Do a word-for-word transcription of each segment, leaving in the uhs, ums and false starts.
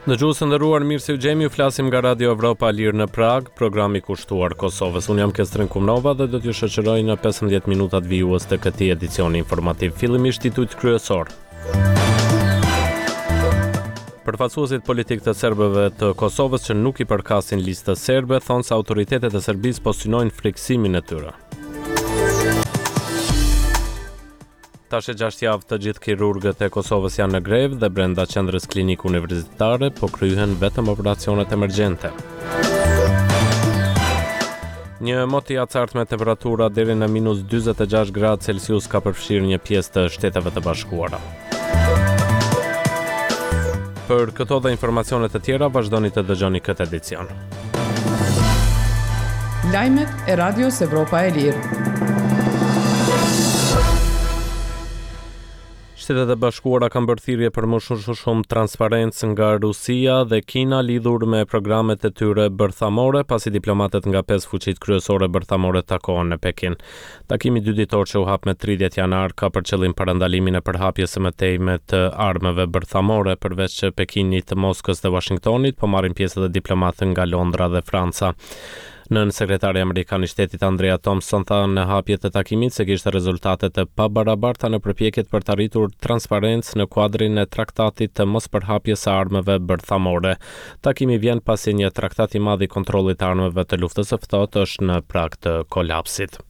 Dëgjues të nderuar, mirë se ju gjejmë, ju flasim nga Radio Evropa e Lirë në Pragë, programi kushtuar Kosovës. Unë jam Kestrin Kumnova dhe do t'ju shoqëroj në pesëmbëdhjetë minutat vijues të këtij edicioni informativ. Fillimisht titujt kryesor. Përfaqësuesit politik të serbëve të Kosovës që nuk i përkasin listës serbe thonë se autoritetet e Serbisë po synojnë frikësimin e tyre. Tash e gjashtë javë të gjithë kirurgët e Kosovës janë në grevë dhe brenda qendrës klinike universitare po kryhen vetëm operacionet emergjente. Një mot i acartë me temperatura deri në minus dyzet e gjashtë gradë Celsius ka përfshirë një pjesë të Shteteve të Bashkuara. Për këto dhe informacione të tjera vazhdoni të dëgjoni këtë edicion. Lajmet e Radios Evropa e Lirë. Shtetet e Bashkuara kanë bërë thirrje për më shumë, shumë transparencë nga Rusia dhe Kina lidhur me programet e tyre bërthamore, pasi diplomatët nga pesë fuqitë kryesore bërthamore takohen në Pekin. Takimi dy ditor që u hap me tridhjetë janar ka për qëllim parandalimin e përhapjes së mëtejme të armëve bërthamore, përveç Pekinit, Moskës dhe Washingtonit, po marrin pjesë edhe diplomatë nga Londra dhe Franca. Nën sekretari amerikan i shtetit Andrea Thompson tha në hapje të takimit se kishte rezultate të pabarabarta në përpjekjet për të arritur transparencë në kuadrin e traktatit të mospërhapjes së armëve bërthamore. Takimi vjen pasi një traktat i madh i kontrollit të armëve të luftës së ftohtë është në prag të kolapsit.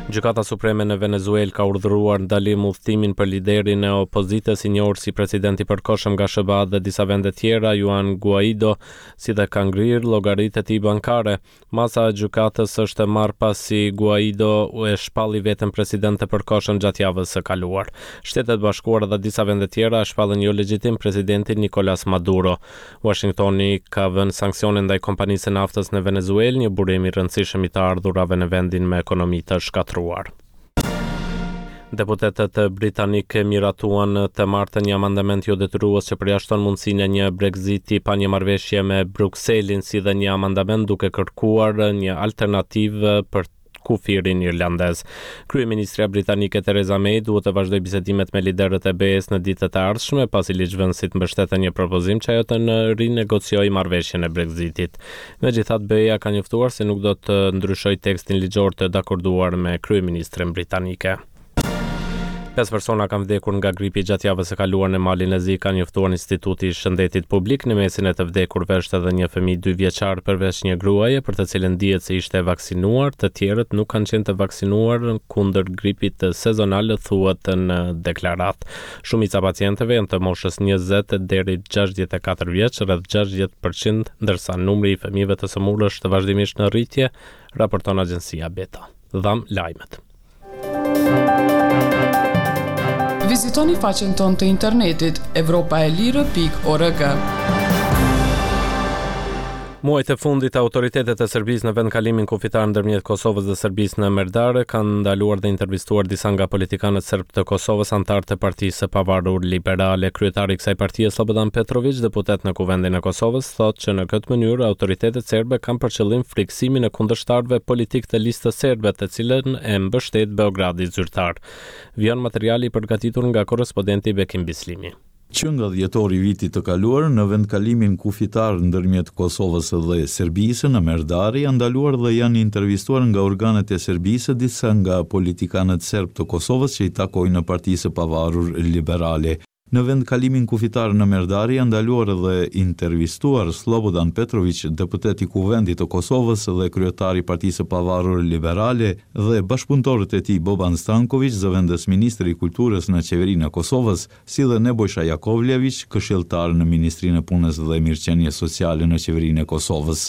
Gjykata Supreme në Venezuelë ka urdhëruar ndalim udhëtimin për liderin e opozitës i njohur si president i përkohshëm nga S H B A dhe disa vende tjera, Juan Guaido, si dhe ka ngrirë llogaritë e tij bankare. Masa e gjykatës është marrë pasi Guaido e shpalli veten president të përkohshëm gjatë javës së kaluar. Shtetet e Bashkuara dhe disa vende tjera e shpallën jo legjitim presidentin Nicolas Maduro. Washingtoni ka vënë sanksione ndaj kompanisë së naftës në Venezuelë, një burim i rëndësishëm i të ardhurave në vendin me ekonomi të shkatërruar. Deputetët britanikë miratuan të martën një amendament jo detyrues që përjashton mundësinë e një Brexiti pa një marrëveshje me Brukselin, si dhe një amendament duke kërkuar një alternativë për kufirin irlandez. Kryeministrja britanike Theresa May duhet të vazhdojë bisedimet me liderët e B E-s në ditët e ardhshme, pasi ligjvënësit mbështetën një propozim që ajo të rinegociojë marrëveshjen e Brexitit. Megjithatë, B E-ja ka njoftuar se nuk do të ndryshojë tekstin ligjor të dakorduar me kryeministren britanike. Pesë persona kanë vdekur nga gripi gjatë javës së kaluar në Malin e Zi, ka njoftuar Instituti i Shëndetit Publik. Në mesin e të vdekurve është edhe një fëmijë dy vjeçar përveç një gruaje për të cilën dihet se ishte e vaksinuar, të tjerët nuk kanë qenë të vaksinuar kundër gripit sezonal, thuhet në deklaratë. Shumica e pacientëve janë të moshës njëzet deri gjashtëdhjetë e katër vjeç, rreth gjashtëdhjetë përqind, ndërsa numri i fëmijëve të sëmurë është vazhdimisht në rritje, raporton agjencia Beta. Dham lajmet. Vizitoni faqen tonë të internetit evropa e lirë pikë org. Muajt e fundit, autoritetet e Serbisë në vendkalimin kufitar ndërmjet Kosovës dhe Serbisë në Merdare kanë ndaluar dhe intervistuar disa nga politikanët serb të Kosovës, anëtarë të Partisë së Pavarur Liberale. Kryetari i kësaj partie, Slobodan Petrović, deputet në Kuvendin e Kosovës, thotë që në këtë mënyrë autoritetet serbe kanë për qëllim friksimin e kundërshtarëve politik të listës serbe, të cilën e mbështet Beogradi zyrtar. Vjen materiali i përgatitur nga korrespondenti Bekim Bislimi. Që nga dhjetori i vitit të kaluar, në vendkalimin kufitar ndërmjet Kosovës dhe Serbisë në Merdare janë ndaluar dhe janë intervistuar nga organet e Serbisë disa nga politikanët serb të Kosovës që i takojnë në Partisë së Pavarur Liberale. Në vendkalimin kufitar në Merdare janë ndaluar dhe intervistuar Slobodan Petrović, deputet i Kuvendit të Kosovës dhe kryetar i Partisë së Pavarur Liberale, dhe bashkëpunëtorët e tij Boban Stanković, zëvendës ministri i Kulturës në Qeverinë e Kosovës, si dhe Nebojsha Jakovljević, këshilltar në Ministrinë e Punës dhe Mirëqenies Sociale në Qeverinë e Kosovës.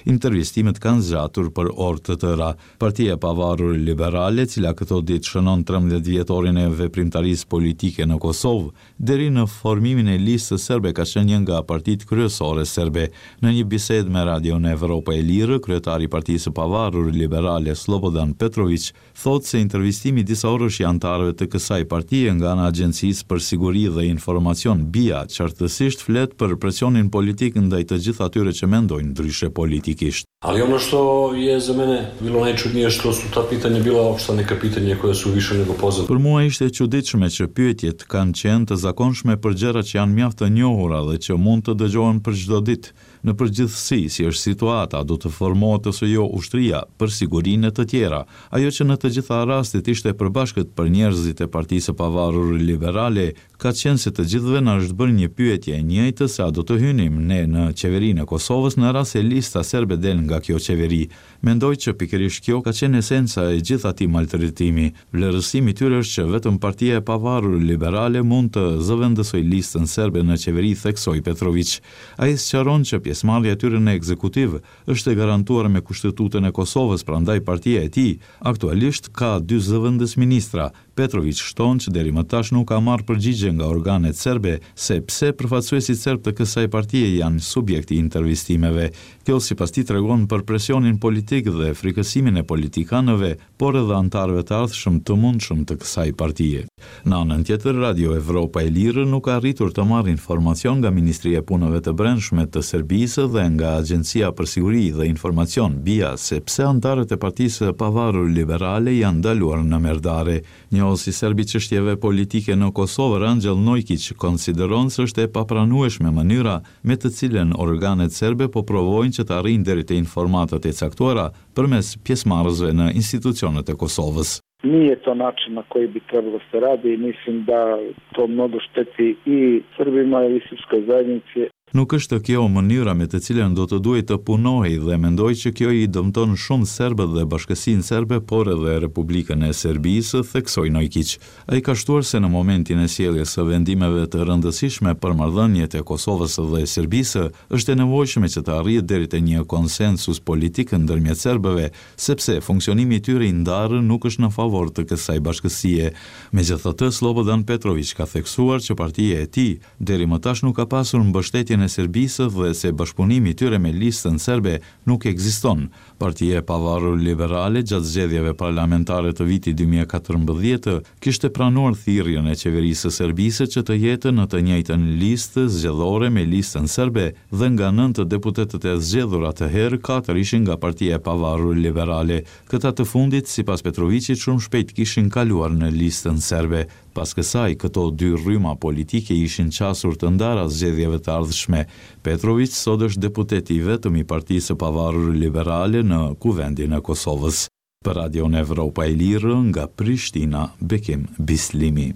Intervistimet kanë zgjatur për orë të tëra. Partia e Pavarur Liberale, cila këto ditë shënon trembëdhjetë vjetorin e veprimtarisë politike në Kosovë, deri Deri në formimin e Listës Serbe ka qenë një nga partitë kryesore serbe. Në një bisedë me Radion Evropa e Lirë, kryetari i Partisë së Pavarur Liberale Slobodan Petroviq thotë se intervistimi disaorësh i anëtarëve të kësaj partie nga ana e Agjencisë për Siguri dhe Informacion B I A qartësisht flet për presionin politik ndaj të gjithë atyre që mendojnë ndryshe politikisht. Ali ono što je za mene bilo najčudnije, što su ta pitanja bila opšta neka pitanja koja su više nego poznata. Për mua ishte e çuditshme që pyetjet kanë qenë të zakonshme për gjëra që janë mjaft të njohura dhe që mund të dëgjohen për çdo ditë. Në përgjithësi, si është situata, do të formohet ose jo ushtria, për sigurinë e të tjera. Ajo që në të gjitha rastet ishte e përbashkët për njerëzit e Partisë së Pavarur Liberale, ka qenë se të gjithëve na është bërë një pyetje e njëjtë se a do të hynim ne në qeverinë e Kosovës në rast se Lista Serbe del nga kjo qeveri. Mendoj që pikërisht kjo ka qenë esenca e gjithë atij maltretimi. Vlerësimi i tyre është që vetëm Partia e Pavarur Liberale mund të zëvendësojë Listën Serbe në qeveri, theksoi Petroviq. Ai sqaron që pjesëmarrja e tyre në ekzekutiv është e garantuar me Kushtetutën e Kosovës, prandaj partia e tij aktualisht ka dy zëvendës ministra. Petroviq shton që deri më tash nuk ka marrë përgjigje nga organet serbe se pse përfaqësuesit serb të kësaj partie janë subjekt i intervistimeve. Kjo, sipas tij, tregon për presionin politik dhe frikësimin e politikanëve, por edhe anëtarëve të ardhshëm të mundshëm të kësaj partie. Në anën tjetër, Radio Evropa e Lirë nuk ka arritur të marrë informacion nga Ministria e Punëve të Brendshme të Serbisë dhe nga Agjencia për Siguri dhe Informacion, B I A, se pse anëtarët e Partisë së Pavarur Liberale janë ndaluar në Merdare. Njohësi serb i çështjeve politike në Kosovë, Rangjel Nojkiq, konsideron se është e papranueshme mënyra me të cilën organet serbe po provojnë që të arrijnë deri te informatat e caktuara përmes pjesëmarrësve në institucionet e Kosovës. Nije to način na koji bi trebalo se radi i mislim da to mnogo šteti i Srbima i srpskoj zajednici. Nuk është kjo mënyra me të cilën do të duhej të punohej dhe mendoj që kjo i dëmton shumë serbët dhe bashkësinë serbe, por edhe Republikën e Serbisë, theksoi Nojkiq. Ai ka shtuar se në momentin e sjelljes së vendimeve të rëndësishme për marrëdhëniet e Kosovës dhe Serbisë, është e nevojshme që të arrihet deri te një konsensus politik ndërmjet serbëve, sepse funksionimi i tyre i ndarë nuk është në favor të kësaj bashkësie. Megjithatë, Slobodan Petroviq ka theksuar që partia e tij deri më tash nuk ka pasur mbështetjen e Serbisë dhe se bashkëpunimi i tyre me Listën Serbe nuk ekziston. Partia e Pavarur Liberale gjatë zgjedhjeve parlamentare të vitit dy mijë e katërmbëdhjetë kishte pranuar thirrjen e qeverisë së Serbisë që të jetë në të njëjtën listë zgjedhore me Listën Serbe dhe nga nëntë deputetët e zgjedhur atëherë, katër ishin nga Partia e Pavarur Liberale. Këta të fundit, sipas Petroviqit, shumë shpejt kishin kaluar në Listën Serbe. Pas kësaj, këto dy rryma politike ishin qasur të ndara zgjedhjeve të ardhshme. Petroviq sot është deputeti i vetëm i Partisë së Pavarur Liberale në Kuvendin e Kosovës. Për Radion Evropa e Lirë, nga Prishtina, Bekim Bislimi.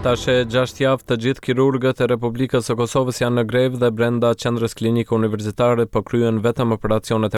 Tash e gjashtë javë të gjithë kirurgët e Republikës së Kosovës janë në grevë dhe brenda qendrës klinike universitare po kryen vetëm operacionet